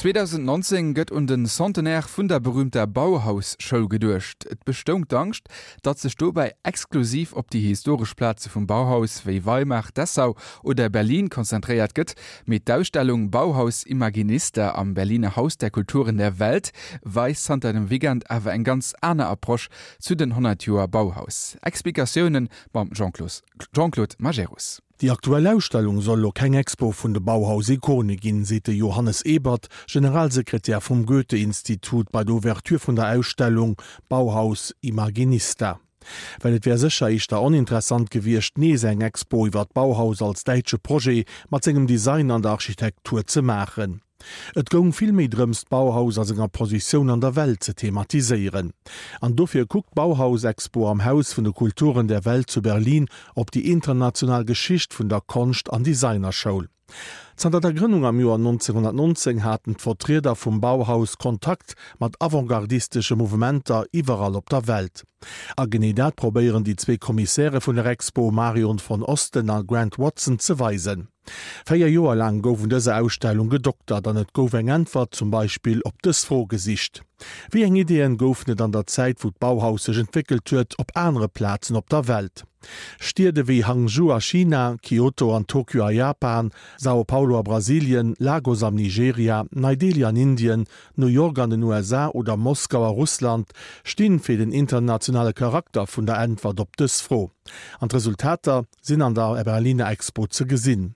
2019 gëtt un den Centenaire vun der berüümter Bauhaus-Schoul geduecht. Et bestoung d'Angscht, datt sech dobäi exklusiv op déi historesch Plaze vum Bauhaus wéi Weimar, Dessau oder Berlin konzentréiert gëtt. Mee d'Ausstellung Bauhaus Imaginista am Berliner Haus der Kulturen der Welt weist zanter dem Weekend awer eng ganz aner Approche zu den 100 Joer Bauhaus. Explikatioune mam Jean-Claude Majerus. Déi aktuell Ausstellung soll elo keng Expo vun de Bauhaus-Ikone ginn, seet de Johannes Ebert, Generalsekretär vum Goethe-Institut bei der Ouverture vun der Ausstellung Bauhaus Imaginista. Well et wär sécher éischter oninteressant gewiescht, nees eng Expo iwwer d'Bauhaus als däitsche Projet mat sengem Design an der Architektur ze maachen. Et goung vill méi drëms, d'Bauhaus a senger Positioun an der Welt ze thematiséieren. An dofir kuckt d'Bauhaus-Expo am Haus vun de Kulturen der Welt zu Berlin op déi international Geschicht vun der Konscht an Designerschoul. Zanter der Grënnung am Joer 1919 haten d'Vertrieder vum Bauhaus Kontakt mat avantgardistesche Mouvementer iwwerall op der Welt. A genee dat probéieren déi zwee Kommissäre vun der Expo, Marion von Osten a Grant Watson, ze weisen. 4 Joer laang gouf un dëser Ausstellung gedoktert an et gouf eng Äntwert zum Beispill op dës Fro gesicht, Wéi eng Ideeën goufen et an der Zäit wou d'Bauhaus sech entwéckelt huet op anere Plazen op der Welt? Stied ewéi Hangzhou a China, Kyoto an Tokio a Japan, Sao Paulo a Brasilien, Lagos am Nigeria, Nei Delhi an Indien, New York an den USA oder Moskau a Russland stinn fir den internationale Charakter vun der Äntwert op dës Fro. An d'Resultater? Sinn an der Berliner Expo ze gesinn.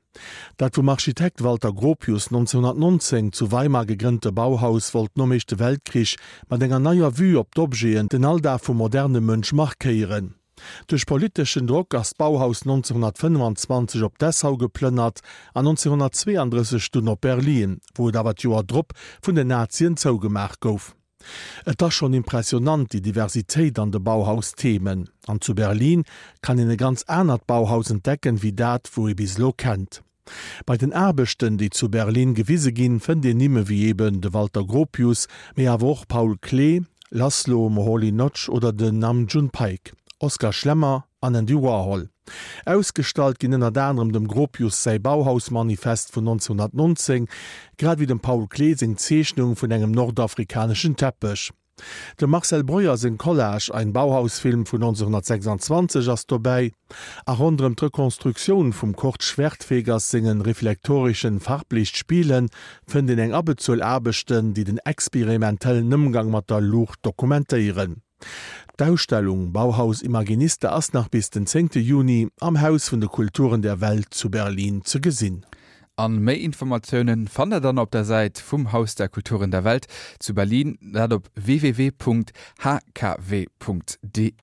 Dat vum Architekt Walter Gropius 1919 zu Weimar gegrënnte Bauhaus wollt nom Éischte Weltkrich mat enger neier Vue op d'Objeten den Alldag vum moderne Mënsch markéieren. Duerch politeschen Drock ass d'Bauhaus 1925 op Dessau geplënnert an 1932 dunn op Berlin, wou et awer d'Joer drop vun den Nazien zougemaach gouf. Et ass schonn impressionant, déi Diversitéit an de Bauhaus-Themen. An zu Berlin kann een e ganz anert Bauhaus entdecken, wéi dat, wou ee bis elo kennt. Bei den Aarbechten, déi zu Berlin gewise ginn, fënnt een Nimme wéi eben de Walter Gropius, mee awer och Paul Klee, Laszlo Moholy-Nagy oder den Nam June Paik, Oskar Schlemmer an Andy Warhol. Ausgestallt ginn ënnert anerem dem Gropius säi Bauhaus-Manifest vun 1919, grad ewéi dem Paul Klee seng Zeechnung vun engem nordafrikaneschen Teppech. Dem Marcel Breuer seng Collage Ein Bauhausfilm vun 1926 ass dobäi, a ronderëm d'Rekonstruktioun vum Kurt Schwertfegers sengen reflektorischen Farblichtspielen fënnt een eng Abbezuel Aarbechten, déi den experimentellen Ëmgang mat der Luucht dokumentéieren. D'Ausstellung Bauhaus Imaginista ass nach bis den zéngte Juni am Haus vun de Kulturen der Welt zu Berlin ze gesinn. An méi Informatiounen fannt der dann op der Säit vum Haus der Kulturen der Welt zu Berlin, dat op www.hkw.de.